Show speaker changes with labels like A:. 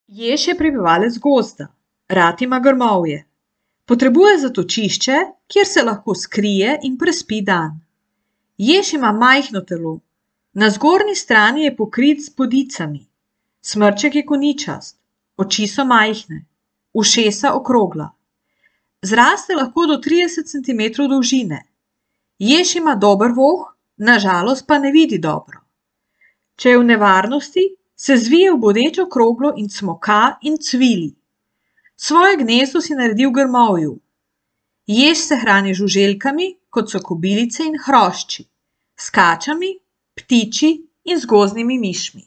A: Jež je prebivalec gozda, rad ima grmovje. Potrebuje zatočišče, kjer se lahko skrije in prespi dan. Jež ima majhno telo. Na zgornji strani je pokrit z bodicami. Smrček je koničast, oči so majhne, ušesa okrogla. Zraste lahko do 30 centimetrov dolžine. Jež ima dober voh, na žalost pa ne vidi dobro. Če je v nevarnosti, se zvije v bodečo kroglo in cmoka in cvili. Svoje gnezdo si naredi v grmovju. Jež se hrani z žuželkami, kot so kobilice in hrošči, s kačami, ptiči in z gozdnimi mišmi.